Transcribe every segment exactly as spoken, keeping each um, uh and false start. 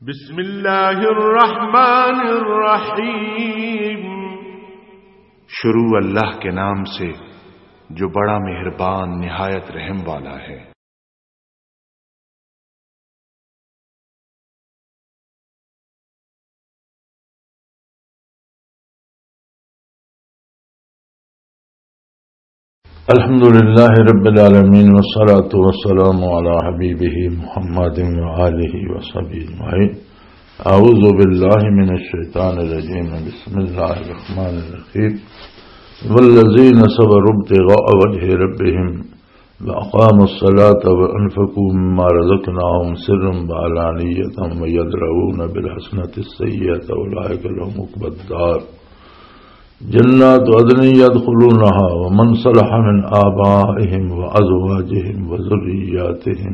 بسم اللہ الرحمن الرحیم۔ شروع اللہ کے نام سے، جو بڑا مہربان، نہایت رحم والا ہے۔ الحمد لله رب العالمين، والصلاة والسلام على حبيبه محمد وآله وصحبه أجمعين. أعوذ بالله من الشيطان الرجيم. بسم الله الرحمن الرحيم. والذين صبروا ابتغاء وجه ربهم وأقاموا الصلاة وأنفقوا مما رزقناهم سرا وعلانية ويدرؤون بالحسنة السيئة أولئك لهم عقبى الدار. جنات عدن يدخلونها ومن صلح من آبائهم وأزواجهم وذرياتهم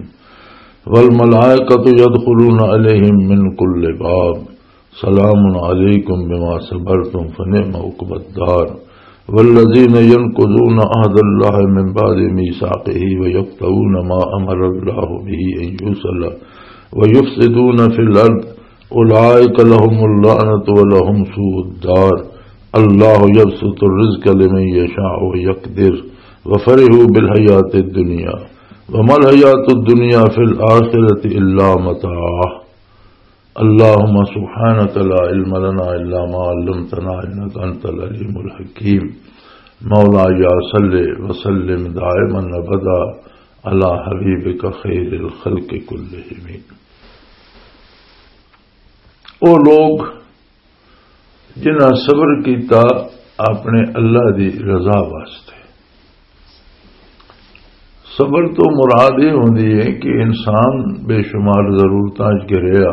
والملائكة يدخلون عليهم من كل باب. سلام عليكم بما صبرتم فنعم عقبى الدار. والذين ينقضون عهد الله من بعد ميثاقه ويقطعون ما أمر الله به أن يوصل ويفسدون في الأرض أولئك لهم اللعنة ولهم سوء الدار. الله يبسط الرزق لمن يشاء ويقدر وفرحوا بالحياة الدنيا وما الحياة الدنيا في الآخرة إلا متاع. اللهم سبحانك لا علم لنا إلا ما علمتنا إنك أنت العليم الحكيم. مولاي صل وسلم دائما أبدا على حبيبك خير الخلق كلهم. او لوگ جنہاں صبر کیتا اپنے اللہ دی رضا واسطے۔ صبر تو مراد یہ ہوندی ہے کہ انسان بے شمار ضرورتاں وچ گھریا،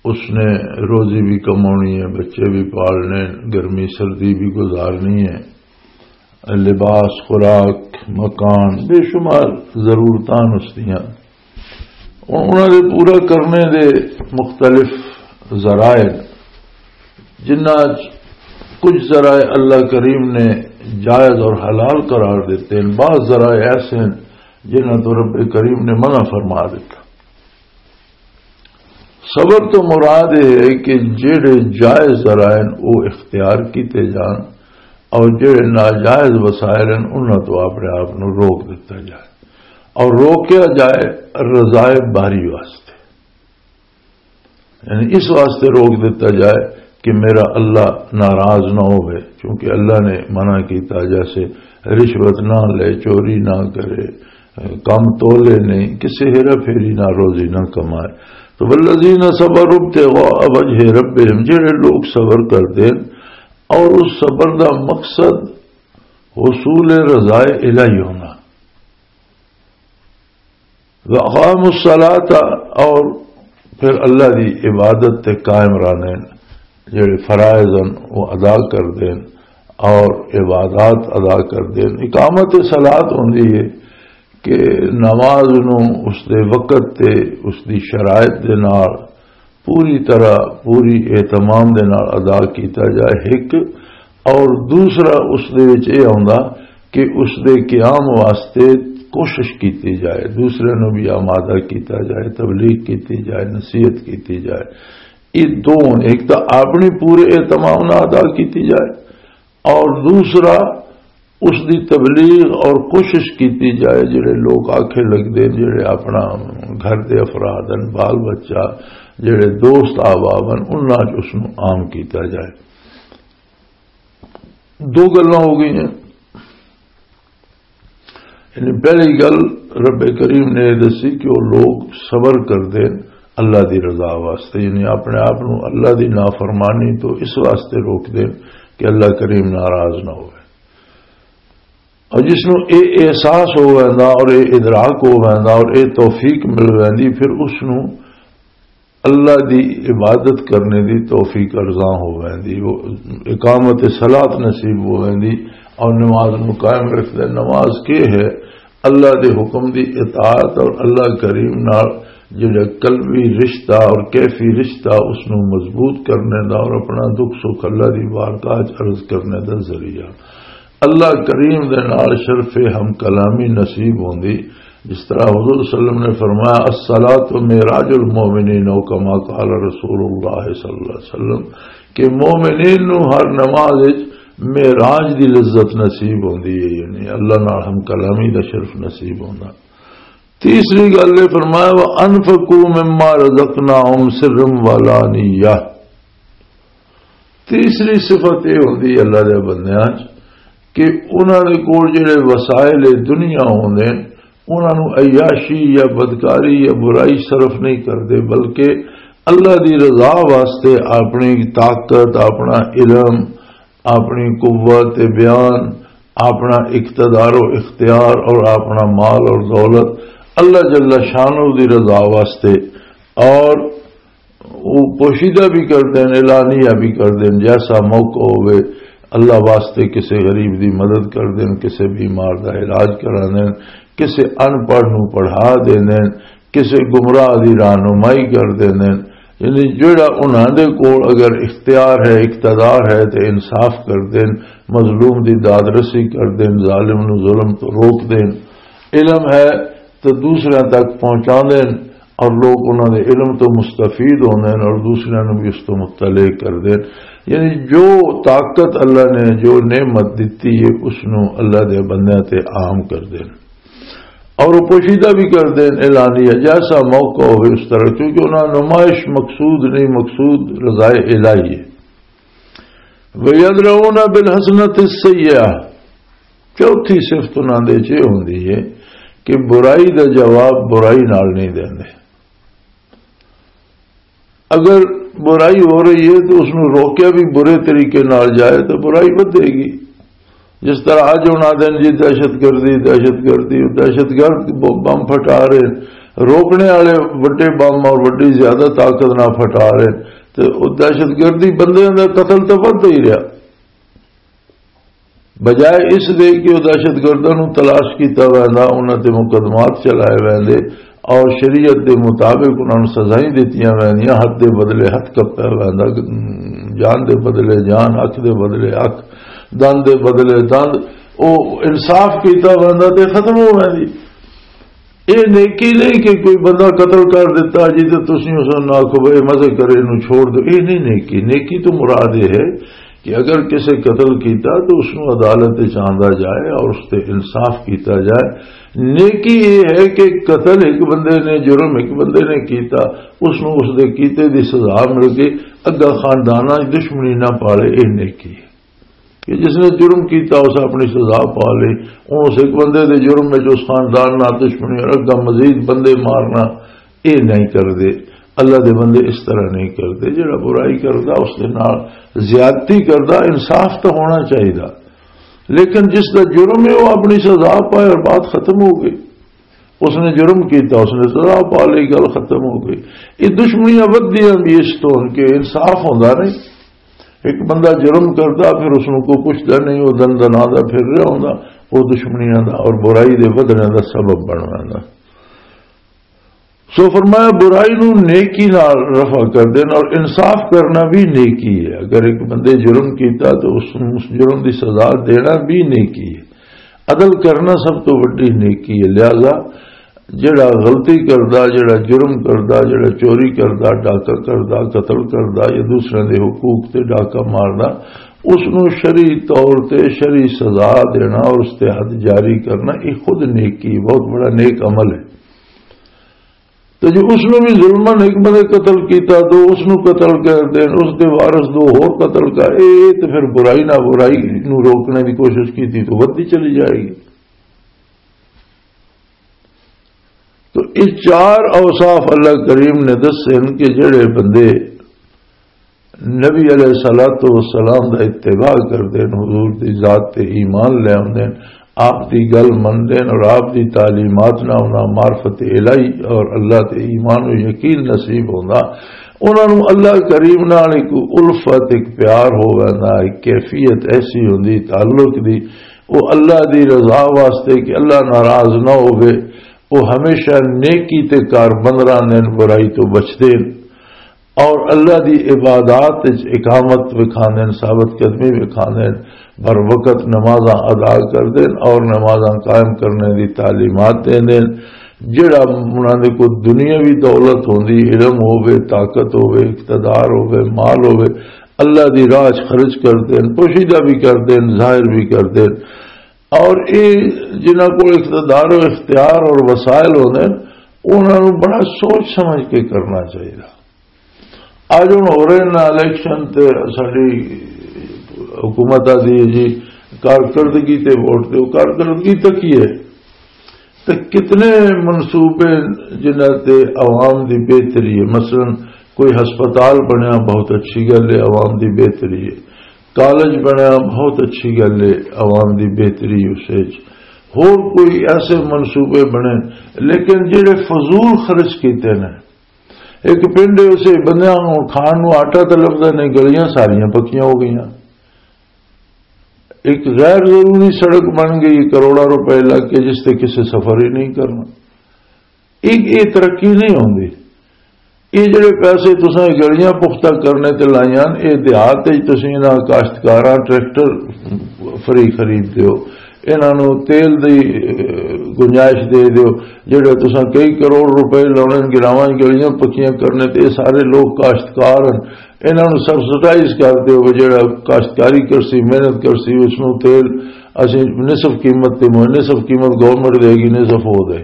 اس نے روزی بھی کمانی ہے، بچے بھی پالنے، گرمی سردی بھی گزارنی ہے، لباس، خوراک، مکان، بے شمار ضرورتاں اس دیاں۔ ہن انہاں دے پورا کرنے دے مختلف ذرائع، جنہاں چ کچھ ذرائع اللہ کریم نے جائز اور حلال قرار دیتے ہیں، بعض ذرائع ایسے ہیں جنہاں تو رب کریم نے منع فرما دیتا۔ صبر تو مراد یہ ہے کہ جڑے جائز ذرائع ہیں، وہ اختیار کیتے جان، اور جڑے ناجائز وسائل ہیں، انہاں تو اپنے آپ نو روک دیتا جائے، اور روکیا جائے رضائے باری واسطے۔ یعنی اس واسطے روک دیتا جائے کہ میرا اللہ ناراض نہ ہوئے، کیونکہ اللہ نے منع کیتا، جیسے رشوت نہ لے، چوری نہ کرے، کم تولے نہیں، کسی ہیرا پھیری نہ، روزی نہ کمائے۔ تو والذین صبروا ابتغاء وجہ ربہم، جڑے لوگ صبر کر دین اور اس صبر دا مقصد حصول رضائے الہی ہونا۔ وَأَقَامُوا الصَّلَاةَ، اور پھر اللہ دی عبادت تے قائم رہنے، جڑے فرائض ہیں وہ ادا کر دین اور عبادات ادا کر دین۔ اقامت صلاۃ ہوندی ہے کہ نماز نو اس دے وقت تے اس دی شرائط دے نال پوری طرح، پوری اہتمام دے نال ادا کیتا جائے، ایک۔ اور دوسرا اس دے وچ یہ آوندا کہ اس دے قیام واسطے کوشش کیتی جائے، دوسرے نو بھی آمادہ کیتا جائے، تبلیغ کیتی جائے، نصیحت کیتی جائے۔ یہ دو، ایک تو اپنی پورے اہتمام نال ادا کیتی جائے، اور دوسرا اس دی تبلیغ اور کوشش کیتی جائے، جڑے لوگ آکھے لگدے، جڑے اپنا گھر دے افراد ہیں، بال بچہ، جڑے دوست احباب ہیں، انہاں چ اس نوں عام کیتا جائے۔ دو گلاں ہو گئیاں۔ یعنی پہلی گل رب کریم نے یہ دسی کہ وہ لوگ صبر کر دین اللہ دی رضا واسطے، یعنی اپنے آپ نو اللہ دی نافرمانی تو اس واسطے روک دین کہ اللہ کریم ناراض نہ ہوئے۔ اور جس نو اے احساس ہو ویندا اور اے ادراک ہو ویندا اور اے توفیق مل ویندی، پھر اس نو اللہ دی عبادت کرنے دی توفیق ارزاں ہو ویندی، وہ اقامت صلاۃ نصیب ہو ویندی اور نماز نو قائم رکھدا۔ نماز کے ہے؟ اللہ دے حکم دی اطاعت اور اللہ کریم نال جڑا قلبی رشتہ اور کیفی رشتہ، اس نو مضبوط کرنے دا اور اپنا دکھ سکھ اللہ دی بارگاہ چ عرض کرنے دا ذریعہ۔ اللہ کریم دے نال شرف ہم کلامی نصیب ہوندی، جس طرح حضور صلی اللہ علیہ وسلم نے فرمایا، "الصلاۃ معراج المومنین"، او کما قال رسول اللہ صلی اللہ علیہ وسلم، کہ مومنین نو ہر نماز وچ معراج دی لذت نصیب ہوندی ہے، یعنی اللہ نال ہم کلامی دا شرف نصیب ہوندا۔ تیسری گل یہ فرمایا، "وَأَنفِقُوا مِمَّا رَزَقْنَاهُمْ سِرًّا وَعَلَانِيَّةً۔" تیسری صفت یہ ہوندی ہے اللہ دے بندیاں چ کہ انہاں دے کول جڑے وسائل دنیا ہوندے نے، انہاں نوں عیاشی یا بدکاری یا برائی صرف نہیں کردے، بلکہ اللہ دی رضا واسطے اپنی طاقت، اپنا علم، اپنی قوت بیان، اپنا اقتدار و اختیار اور اپنا مال اور دولت اللہ جل شانہ دی رضا واسطے اور وہ پوشیدہ بھی کر دین، اعلانیہ بھی کر دین، جیسا موقع ہوئے اللہ واسطے کسے غریب دی مدد کر دین، کسے بیمار دا علاج کرا دین، کسے ان پڑھ نو پڑھا دین، کسے گمراہ دی رہنمائی کر دین۔ یعنی جڑا انہاں دے کول اگر اختیار ہے، اقتدار ہے، تے انصاف کر دین، مظلوم دی داد رسی کر دین، ظالم نو ظلم تو روک دین۔ علم ہے تو دوسرے تک پہنچا دین، اور لوگ انہاں دے علم تو مستفید ہوندے ہیں اور دوسرے نو بھی اس تو مطلع کر دین۔ یعنی جو طاقت اللہ نے، جو نعمت دتی ہے، اس نو اللہ دے بندیاں تے عام کر دین۔ اور وہ پوشیدہ بھی کر دین، اعلانیہ، جیسا موقع ہوئے اس طرح، کیونکہ انہاں نمائش مقصود نہیں، مقصود رضائے الہی ہے۔ وَيَدْرَؤُونَ بِالْحَسَنَةِ السَّيِّئَةَ۔ چوتھی صفت انہاں دے چ یہ ہوندی ہے کہ برائی دا جواب برائی نال نہیں دیندے۔ اگر برائی ہو رہی ہے تو اس نوں روکیا بھی برے طریقے نال جائے تو برائی ودھے گی۔ جس طرح اج ہن آدھے نے جی دہشت گردی، دہشت گردی، دہشت گرد ب-، بم پھٹا رہے، روکنے والے وڈے بم اور وڈی زیادہ طاقت نہ پھٹا رہے، تے او دہشت گردی بندیاں دا قتل تو ودھدا ہی رہیا۔ بجائے اس دے کہ او دہشت گرداں نوں تلاش کیتا ویندا، انہاں تے مقدمات چلائے ویندے اور شریعت دے مطابق انہاں نوں سزائیں دتیاں ویندیاں، حد دے بدلے حد کپیا ویندا، جان دے بدلے جان، اکھ دے بدلے اکھ، دند دے بدلے دند، او انصاف کیتا ویندا تے ختم ہو ویندی۔ اے نیکی نہیں کہ کوئی بندہ قتل کر دیتا جی تے تسی اس نوں آکھو بھئی مزے کرے نوں چھوڑ دو، اے نہیں نیکی۔ نیکی تو مراد اے ہے کہ اگر کسے قتل کیتا تو اس نوں عدالت وچ آندا جائے اور اس تے انصاف کیتا جائے۔ نیکی اے ہے کہ قتل ایک بندے نے، جرم ایک بندے نے کیتا، اس نوں اس دے کیتے دی سزا مل کے اگا خانداناں وچ دشمنی نہ پالے، اے نیکی ہے۔ کہ جس نے جرم کیتا اس اپنی سزا پا لئی، ہن اس ایک بندے دے جرم وچ اس خاندان نال دشمنی اور اگا مزید بندے مارنا، اے نہیں کردے۔ اللہ دے بندے اس طرح نہیں کردے۔ جڑا برائی کردا اس دے نال زیادتی کردا، انصاف تو ہونا چاہیدا، لیکن جس دا جرم ہے وہ اپنی سزا پائے اور بات ختم ہو گئی۔ اس نے جرم کیتا، اس نے سزا پا لئی، گل ختم ہو گئی۔ یہ دشمنیاں ودھدیاں بھی اس تو ہن کہ انصاف ہوندا نہیں۔ ایک بندہ جرم کردا، پھر اس نوں کوئی پوچھدا نہیں، وہ دن دنا دا پھر رہا ہوندا، وہ دشمنیاں دا اور برائی دے ودھنے دا سبب بن ویندا۔ سو فرمایا، برائی نوں نیکی نال رفع کر دینا اور انصاف کرنا بھی نیکی ہے۔ اگر ایک بندے جرم کیتا تو اس نوں اس جرم دی سزا دینا بھی نیکی ہے۔ عدل کرنا سب تو وڈی نیکی ہے۔ لہذا جڑا غلطی کردا، جڑا جرم کردا، جڑا چوری کردا، ڈاکہ کردا، قتل کردا یا دوسرے دے حقوق تے ڈاکہ ماردا، اس نوں شرعی طور تے شرعی سزا دینا اور اس تے حد جاری کرنا، یہ خود نیکی، بہت بڑا نیک عمل ہے۔ تو جو اس نوں بھی ظلمن ایک بندے قتل کیتا، تو اس نوں قتل کر دین، اس دے وارث دو ہور قتل کر، اے تے پھر برائی نہ برائی نوں روکنے دی کوشش کیتی تو ودی چلی جائے گی۔ تو یہ چار اوصاف اللہ کریم نے دسے ہیں کہ جڑے بندے نبی علیہ الصلوۃ والسلام دا اتباع کردے نے، حضور دی ذات تے ایمان لے آندے نے، آپ دی گل مندے نے اور آپ دی تعلیمات نال انہاں معرفت الہی اور اللہ تے ایمان و یقین نصیب ہوندا، انہاں نوں اللہ کریم نال ایک الفت، ایک پیار ہو ویندا، ایک کیفیت ایسی ہوندی تعلق دی، وہ اللہ دی رضا واسطے کہ اللہ ناراض نہ ہووے، وہ ہمیشہ نیکی تے کار بند رہندے نے، برائی تو بچدے نے۔ اور اللہ دی عبادات وچ اقامت وکھاندے نے، ثابت قدمی وکھاندے نے، بر وقت نمازاں ادا کردے نے اور نمازاں قائم کرنے دی تعلیمات دیندے نے۔ جڑا انہاں دے کول دنیاوی دولت ہوندی، علم ہووے، طاقت ہووے، اقتدار ہووے، مال ہووے، اللہ دی راہ 'چ خرچ کردے ہن، پوشیدہ بھی کردے ہن، ظاہر بھی کردے ہن۔ اور اے جنہاں کول اقتدار و اختیار اور وسائل ہوندے ہن، انہاں نوں بڑا سوچ سمجھ کے کرنا چاہیدا۔ اج ہن ہو رہے نا الیکشن تے ساڈی حکومت آدھی ہے جی کارکردگی تے ووٹ دیو، کارکردگی تے کی ہے؟ تے کتنے منصوبے جنہاں تے عوام دی بہتری ہے؟ مثلاً کوئی ہسپتال بنیا، بہت اچھی گل ہے، عوام دی بہتری ہے۔ کالج بنیا، بہت اچھی گل ہے، عوام دی بہتری اس وچ۔ ہور کوئی ایسے منصوبے بنے، لیکن جڑے فضول خرچ کیتے نے، ایک پنڈ اسے بندیاں نوں کھان نوں آٹا تے لبدا نہیں، گلیاں ساریاں پکیاں ہو گئیاں۔ ایک غیر ضروری سڑک بن گئی، کروڑاں روپے لگ کے، جس تے کسے سفر ہی نہیں کرنا۔ ایک یہ ترقی نہیں ہوندی۔ یہ جڑے پیسے تساں گلیاں پختہ کرنے تے لائیاں، یہ دیہات وچ تسیں انہاں کاشتکاراں ٹریکٹر فری خرید دیو، انہاں نوں تیل دی، اے، گنجائش دے دیو۔ جڑے تساں کئی کروڑ روپے لاونے گراواں گلیاں پکیاں کرنے تے، یہ سارے لوگ کاشتکار ہیں، انہاں نوں سبسڈائز کر دیو۔ جڑا کاشتکاری کرسی، محنت کرسی، اس نوں تیل اسی نصف قیمت تے مو-، نصف قیمت گورنمنٹ دے گی، نصف ہو دے۔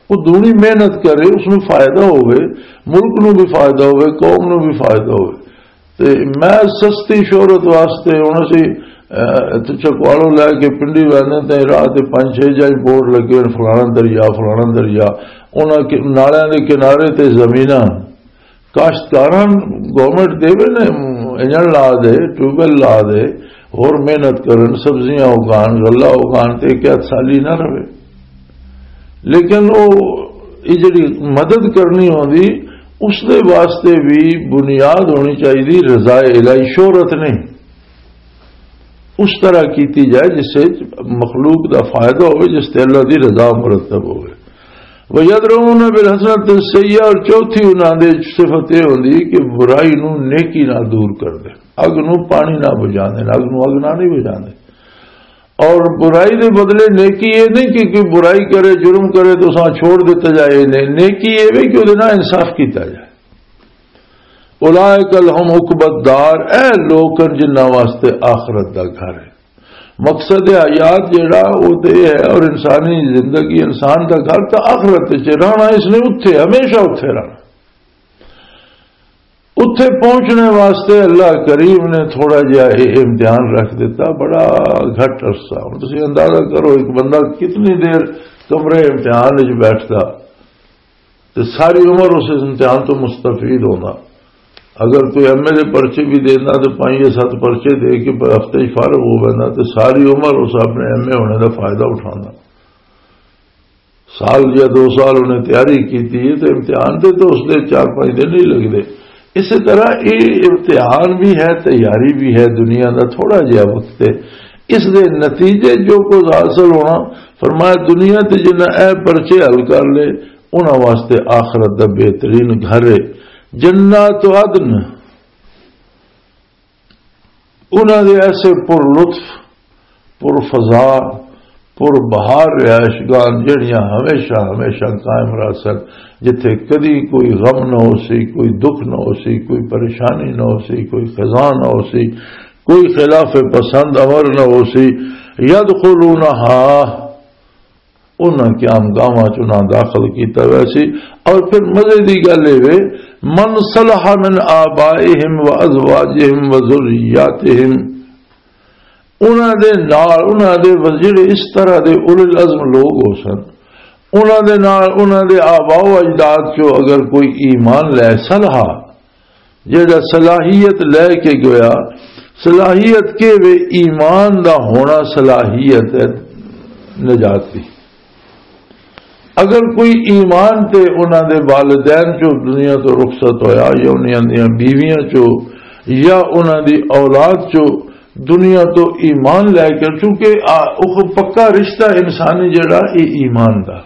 وہ دونی محنت کرے، اس نوں فائدہ ہوئے، ملک نوں بھی فائدہ ہوئے، قوم نوں بھی فائدہ ہوئے۔ تے میں سستی شہرت واسطے ہن اسی، اے، اتھوں چکوالوں لے کے پنڈی ویندے تے راہ تے پنج چھ جائیں بورڈ لگے ہوئے، فلانا دریا، فلانا دریا، انہاں کے-، نالیاں دے کنارے تے زمیناں کاشتکاراں گورنمنٹ دے وے نے انجن لا دے، ٹیوب ویل لا دے، ہور محنت کرن، سبزیاں اگان، غلہ اگان تے کیا سالی نہ رہے۔ لیکن او یہ جڑی مدد کرنی ہوندی، اس دے واسطے بھی بنیاد ہونی چاہیے رضا الہی، شہرت نہیں۔ اس طرح کیتی جائے جس سے مخلوق دا فائدہ ہوئے، جس تے اللہ دی رضا مرتب ہوئے۔ وَيَدْرَؤُونَ بِالْحَسَنَةِ السَّيِّئَةَ، اور چوتھی انہاں دے صفت یہ ہوندی کہ برائی نو نیکی نہ دور کر دے، اگ نو پانی نہ بجا دے، اگ نو اگ نہ نہیں بجا دے۔ اور برائی دے بدلے نیکی یہ نہیں کہ کوئی برائی کرے، جرم کرے تو اساں چھوڑ دیتا جائے، نہیں، نیکی یہ بھی کہ وہ نہ انصاف کیتا جائے۔ اولئک لہم عقبی الدار، اے لوک ہن جنہاں واسطے آخرت دا گھر ہے۔ مقصد حیات جڑا، وہ تے یہ ہے، اور انسانی زندگی، انسان دا گھر تا آخرت وچ رہنا، اس نے اتھے، ہمیشہ اتھے رہنا۔ اتھے پہنچنے واسطے اللہ کریم نے تھوڑا جہا یہ امتحان رکھ دیتا، بڑا گھٹ عرصہ۔ ہن تسی اندازہ کرو، ایک بندہ کتنی دیر کمرے امتحان وچ بیٹھدا، تے ساری عمر اس امتحان تو مستفید ہونا۔ اگر کوئی ایم اے دے پرچے بھی دینا تے پنج یا ست پرچے دے کے ہفتے ہی فارغ ہو وینا، تے ساری عمر اس اپنے ایم اے ہونے دا فائدہ اٹھانا۔ سال یا دو سال انہیں تیاری کیتی ہے، تے امتحان دے تو اس دے چار پنج دن ہی لگدے۔ اسی طرح یہ امتحان بھی ہے، تیاری بھی ہے، دنیا دا تھوڑا جہا وقت ہے۔ اس دے نتیجے جو کچھ حاصل ہونا، فرمایا، دنیا تے جنہ اے پرچے حل کر لے، انہاں واسطے آخرت دا بہترین گھر ہے، جنات عدن۔ انہاں دے ایسے پر لطف، پر فضا، پر بہار رہائش گاہ جڑیاں ہمیشہ، ہمیشہ قائم رہ سن، جتھے کدی کوئی غم نہ ہو سی، کوئی دکھ نہ ہو سی، کوئی پریشانی نہ ہو سی، کوئی خزاں نہ ہو سی، کوئی خلاف پسند امر نہ ہو سی۔ یدخلونہا، انہاں قیام گاہاں چ انہاں داخل کیتا ویسی۔ اور پھر مزے دی گل اے وے، من صلح من آبائہم و ازواجہم و ذریاتہم، انہاں دے نال، انہاں دے وز-، جڑے اس طرح دے اولو العزم لوگ ہو سن، انہاں دے نال، انہاں دے آباء و اجداد چوں اگر کوئی ایمان لے، صلح، جڑا صلاحیت لے کے گیا، صلاحیت کے وے ایمان دا ہونا صلاحیت ہے نجات دی۔ اگر کوئی ایمان تے انہاں دے والدین چوں دنیا تو رخصت ہویا یا انہاں دیاں بیویاں چوں یا انہاں دی اولاد چوں دنیا تو ایمان لے کے، چونکہ آ-، اوہ پکا رشتہ انسانی جڑا اے ایمان دا،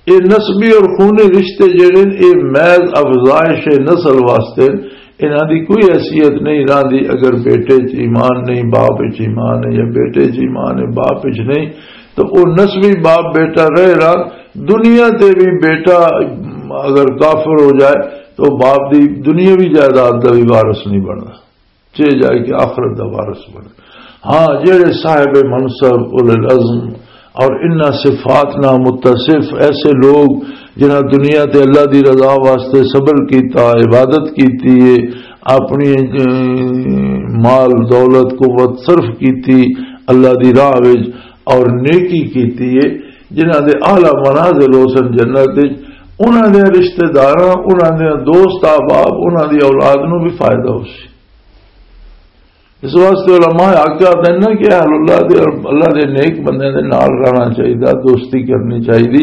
اے نسبی اور خونی رشتے جڑے نے، اے محض افزائش نسل واسطے نے، انہاں دی کوئی حیثیت نہیں رہندی۔ اگر بیٹے چ ایمان نہیں، باپ چ ایمان ہے، یا بیٹے چ ایمان ہے، باپ چ نہیں، تو او نسبی باپ بیٹا رہے رہا، دنیا تے بھی بیٹا اگر کافر ہو جائے تو باپ دی دنیاوی جائیداد دا بھی وارث نہیں بننا، چاہے جائے کہ آخرت دا وارث بنے۔ ہاں، جڑے صاحب منصب، اولو العزم اور انہاں صفات نال متصف ایسے لوگ جنہاں دنیا تے اللہ دی رضا واسطے صبر کیتا، عبادت کیتی ہے، اپنی، اے، مال دولت قوت صرف کیتی اللہ دی راہ وچ اور نیکی کیتی ہے، جنہاں دے اعلیٰ منازل ہو سن جنت وچ، انہاں دے رشتہ داراں، انہاں دے دوست احباب، انہاں دی اولاد نوں بھی فائدہ ہو سی۔ اس واسطے علماء حق آتے ہیں نا کہ اہل اللہ دے اور اللہ دے نیک بندے دے نال رہنا چاہیے، دوستی کرنی چاہیے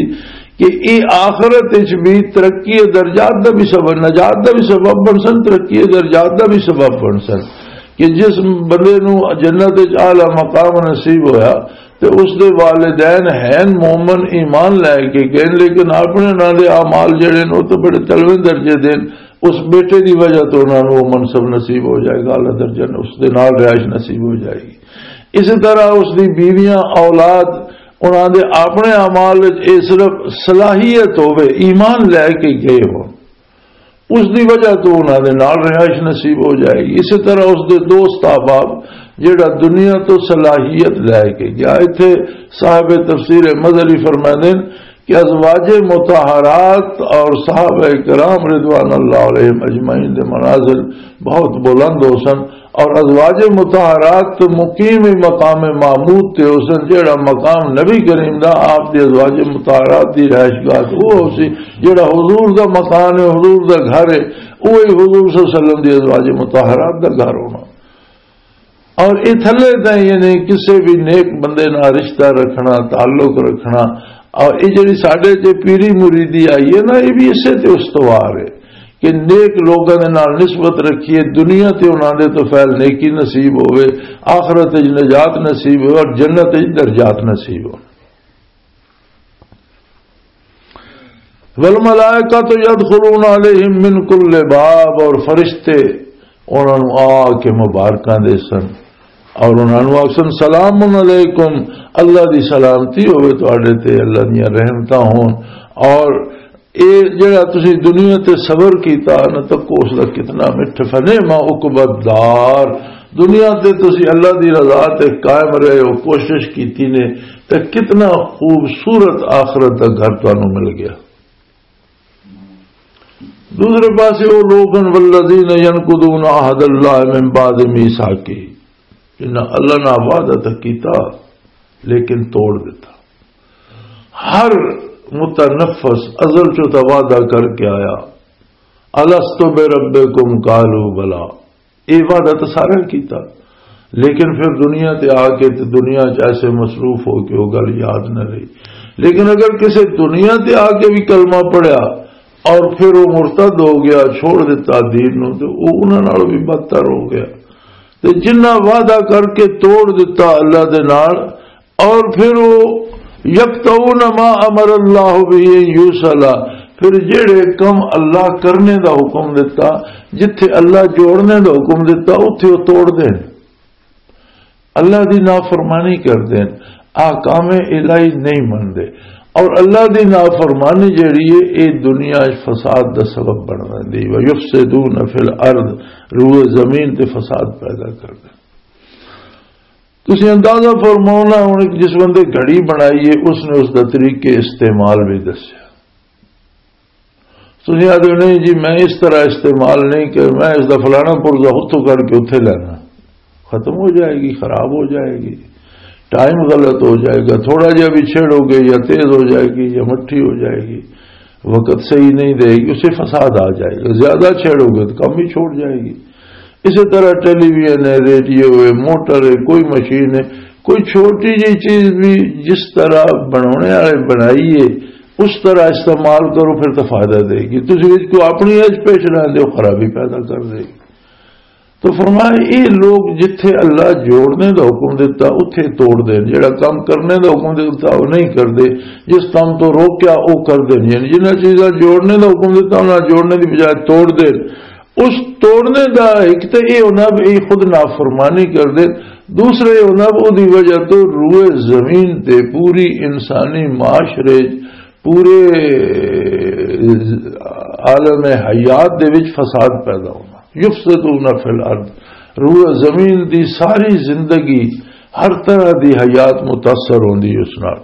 کہ یہ آخرت وچ بھی ترقی درجات دا بھی سبب، نجات دا بھی سبب بن سن، ترقی درجات دا بھی سبب بن سن۔ کہ جس بندے نو جنت وچ اعلیٰ مقام نصیب ہویا تے اس دے والدین ہیں مومن، ایمان لے کے گئے، لیکن اپنے انہاں دے اعمال جڑے نے، وہ تو بڑے تلویں درجے دے نے۔ اس بیٹے دی وجہ تو انہاں نوں وہ منصب نصیب ہو جائے گا، اعلیٰ درجہ اس دے نال رہائش نصیب ہو جائے گی۔ اسی طرح اس دی بیویاں، اولاد، انہاں دے اپنے اعمال وچ یہ صرف صلاحیت ہوے، ایمان لے کے گئے ہو، اس دی وجہ تو انہاں دے نال رہائش نصیب ہو جائے گی۔ اسی طرح اس دے دوست احباب جڑا دنیا تو صلاحیت لے کے گیا۔ اتھے صاحب تفسیر مظہری فرماندے نے کہ ازواج مطہرات اور صحابہ کرام رضوان اللہ علیہم اجمعین دے منازل بہت بلند ہو سن، اور ازواج مطہرات تو مقیم مقام محمود تے ہو سن، جڑا مقام نبی کریم دا آپ دی ازواج مطہرات دی رہائش گاہ تے وہ ہو سی، جڑا حضور دا مکان ہے، حضور دا گھر ہے، وہی حضور صلی اللہ علیہ وسلم دی ازواج مطہرات دا گھر ہونا۔ اور یہ تھلے تائیں یعنی کسے بھی نیک بندے نال رشتہ رکھنا، تعلق رکھنا، اور یہ جڑی ساڈے تے پیری مریدی آئی ہے نا، یہ بھی اسے تے استوار ہے کہ نیک لوگاں دے نال نسبت رکھیے، دنیا تے انہاں دے تو فعل نیکی نصیب ہوے، آخرت وچ نجات نصیب ہوے اور جنت وچ درجات نصیب ہو۔ والملائکۃ یدخلون علیہم من کل باب، اور فرشتے انہاں نوں آ کے مبارکاں دے سن اور انہاں نوں آکھسن، سلام علیکم، اللہ دی سلامتی ہوے تہاڈے تے، اللہ دیاں رحمتاں ہون۔ اور اے جڑا تسی دنیا تے صبر کیتا نہ، تکو اس دا کتنا مٹھ، فنعم عقبی الدار۔ دنیا تے تسی اللہ دی رضا تے قائم رہے ہو، کوشش کیتی نے، تے کتنا خوبصورت آخرت دا گھر تانوں مل گیا۔ دوسرے پاسے وہ لوگ ہیں، والذین ینقضون عہد اللہ من بعد میثاقہ، جنہاں اللہ نال وعدہ تاں کیتا لیکن توڑ دیتا۔ ہر متنفس ازل چوں تاں وعدہ کر کے آیا، الست بربکم قالوا بلی، یہ وعدہ تو سارا کیتا، لیکن پھر دنیا تے آ کے تے دنیا چ ایسے مصروف ہو کے وہ گل یاد نہ رہی۔ لیکن اگر کسی دنیا تے آ کے بھی کلمہ پڑھیا اور پھر وہ مرتد ہو گیا، چھوڑ دیتا دین نو، تے وہ انہاں نال بھی بدتر ہو گیا۔ تے جنہ وعدہ کر کے توڑ دیتا اللہ دے نال، اور پھر وہ یقطعون ما امر اللہ به ان یوصل، پھر جڑے کم اللہ کرنے دا حکم دیتا، جتھے اللہ جوڑنے دا حکم دیتا، اتھے وہ توڑ دین، اللہ دی نافرمانی کر دین، احکام الہی نہیں مندے۔ اور اللہ دی نافرمانی جڑی ہے، یہ دنیا وچ فساد دا سبب بن ویندی۔ وَيُفْسِدُونَ فِي الْأَرْضِ، روئے زمین تے فساد پیدا کر دین۔ تسی اندازہ فرماؤ نا، ہن ایک جس بندے گھڑی بنائی ہے، اس نے اس دا طریقے استعمال بھی دسیا۔ تسی آدھے، نہیں جی، میں اس طرح استعمال نہیں کر، میں اس دا فلانا پرزہ اتھوں کر کے اتھے لینا، ختم ہو جائے گی، خراب ہو جائے گی، ٹائم غلط ہو جائے گا، تھوڑا جہا بھی چھیڑو گے یا تیز ہو جائے گی یا مٹھی ہو جائے گی، وقت صحیح نہیں دے گی، اسے فساد آ جائے گا۔ زیادہ چھیڑو گے تو کم ہی چھوڑ جائے گی۔ اسی طرح ٹیلی ویژن ہے، ریڈیو ہے، موٹر ہے، کوئی مشین ہے، کوئی چھوٹی جی چیز بھی جس طرح بنانے والے بنائی ہے، اس طرح استعمال کرو، پھر تو فائدہ دے گی۔ تسی وچ کوئی اپنی ایج پیش رہندے ہو، خرابی پیدا کر دے گی۔ تو فرمایا، یہ لوگ جتھے اللہ جوڑنے دا حکم دیتا، اتھے توڑ دین، جڑا کام کرنے دا حکم دیتا، وہ نہیں کردے، جس کام تو روکیا، وہ کر دین۔ یعنی جنہاں چیزاں جوڑنے دا حکم دیتا، انہاں جوڑنے دی بجائے توڑ دین۔ اس توڑنے دا ایک تے یہ ہونا بھی یہ خود نافرمانی کر دین، دوسرا یہ ہونا بھی وہ دی وجہ تو روئے زمین تے پوری انسانی معاشرے پورے عالم حیات دے وچ فساد پیدا ہونا۔ یفسدون فی الارض، روئے زمین دی ساری زندگی، ہر طرح دی حیات متاثر ہوندی اس نال۔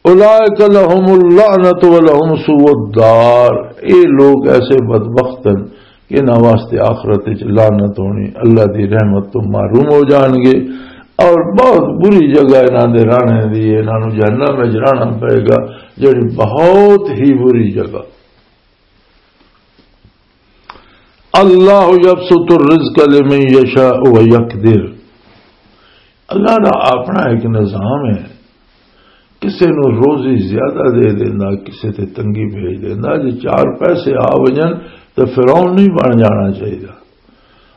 اولئک لهم اللعنۃ ولهم سوء الدار، اے لوگ ایسے بدبخت ہیں کہ انہاں واسطے آخرت وچ لعنت ہونی، اللہ دی رحمت تو محروم ہو جان گے، اور بہت بری جگہ انہاں دے رہنے دی ہے، انہاں نوں جہنم وچ رہنا پئے گا، جڑی بہت ہی بری جگہ۔ اللہ یبسط الرزق لمن یشاء ویقدر، اللہ دا اپنا ایک نظام ہے، کسے نوں روزی زیادہ دے دیندا، کسے تے تنگی بھیج دیندا۔ جے چار پیسے آ وجن تے فرعون نہیں بن جانا چاہیے۔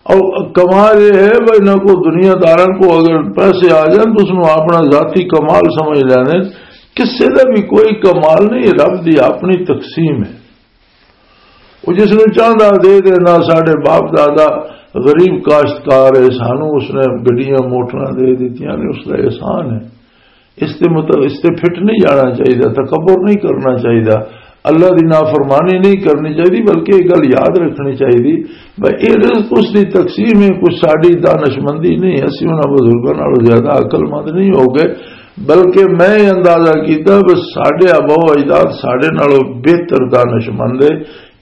اور کمال یہ ہے بھائی، نہ کو دنیا داراں کو اگر پیسے آ جان تو اس نوں اپنا ذاتی کمال سمجھ لینے۔ کسے دا بھی کوئی کمال نہیں، رب دی اپنی تقسیم ہے۔ وہ جس نوں چاہندا دے دینا۔ ساڈے باپ دادا غریب کاشتکار ہے، سانوں اس نے گڈیاں موٹراں دے دتیاں نے، اس دا احسان ہے۔ اس تے مت-، اس تے فٹ نہیں جانا چاہیے، تکبر نہیں کرنا چاہیے، اللہ دی نافرمانی نہیں کرنی چاہیے، بلکہ یہ گل یاد رکھنی چاہیے بھائی، یہ رزق اس دی تقسیم ہے، کچھ ساڈی دانشمندی نہیں، اسی انہاں بزرگاں نالوں زیادہ عقل مند نہیں ہو گئے، بلکہ میں یہ اندازہ کیتا بس ساڈے آبا و اجداد ساڈے نالوں بہتر دانشمند ہے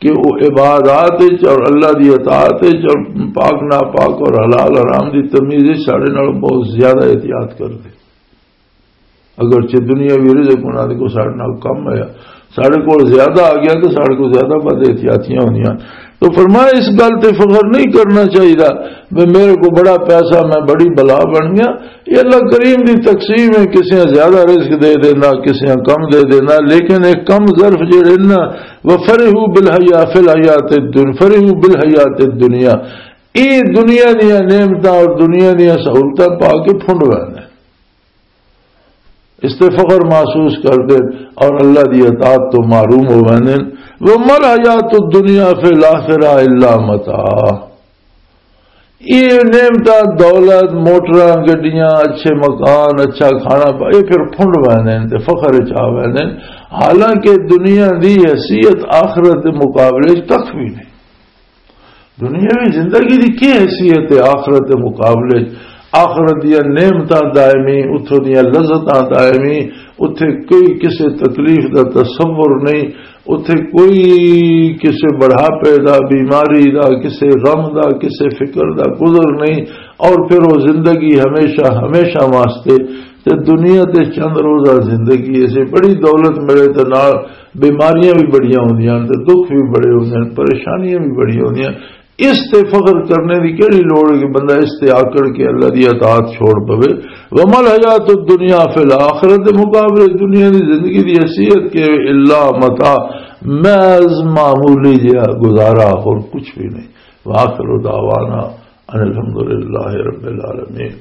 کہ وہ عبادات وچ اور اللہ دی اطاعت وچ اور پاک ناپاک اور حلال حرام دی تمیز وچ ساڈے نالوں بہت زیادہ احتیاط کردے۔ اگرچہ دنیاوی رزق انہاں دے کول ساڈے نال کم ہے، ساڈے کول زیادہ آ گیا تو ساڈے کول زیادہ بد احتیاطیاں ہوندیاں۔ تو فرمایا، اس گل تے فخر نہیں کرنا چاہیے، میں، میرے کو بڑا پیسہ، میں بڑی بلا بن گیا۔ یہ اللہ کریم دی تقسیم ہے، کسے زیادہ رزق دے دینا، کسے کم دے دینا، لیکن ایک کم ظرف جڑے نا، وفرحوا بالحیا-، فی الحیات الدن-، فرحوا بالحیات الدنیا، یہ دنیا دیاں نعمتاں اور دنیا دیاں سہولتاں پا کے پھنڈ ویندے، اس تے فخر محسوس کردے اور اللہ دی اطاعت تو محروم ہو ویندے۔ وما الحیات الدنیا فی الآخرہ الا متاع۔ یہ نعمتاں، دولت، موٹراں، گڈیاں، اچھے مکان، اچھا کھانا پا-، یہ پھر پھنڈ ویندے تے فخر وچ آ ویندے، حالانکہ دنیا دی حیثیت آخرت دے مقابلے وچ کھ بھی نہیں۔ دنیاوی زندگی دی کی حیثیت ہے آخرت دے مقابلے وچ؟ آخرت دیاں نعمتاں دائمی، اتھوں دیاں لذتاں دائمی، اتھے کوئی کسے تکلیف دا تصور نہیں، اتھے کوئی کسے بڑھاپے دا، بیماری دا، کسے غم دا، کسے فکر دا گزر نہیں، اور پھر وہ زندگی ہمیشہ، ہمیشہ واسطے۔ تے دنیا تے چند روزہ زندگی، اسے بڑی دولت ملے تے نال بیماریاں بھی بڑیاں ہوندیاں تے دکھ بھی بڑے ہوندے ہیں، پریشانیاں بھی بڑیاں ہوندیاں۔ اس تے فخر کرنے دی کیڑی لوڑ ہے کہ بندہ اس تے آکڑ کے اللہ دی اطاعت چھوڑ پوے؟ وما الحیات الدنیا فی الآخرۃ، مقابلے دنیا دی زندگی دی حیثیت کہ الا متاع، محض معمولی جہا گزارا، اور کچھ بھی نہیں۔ وآخر دعوانا ان الحمدللہ رب العالمین۔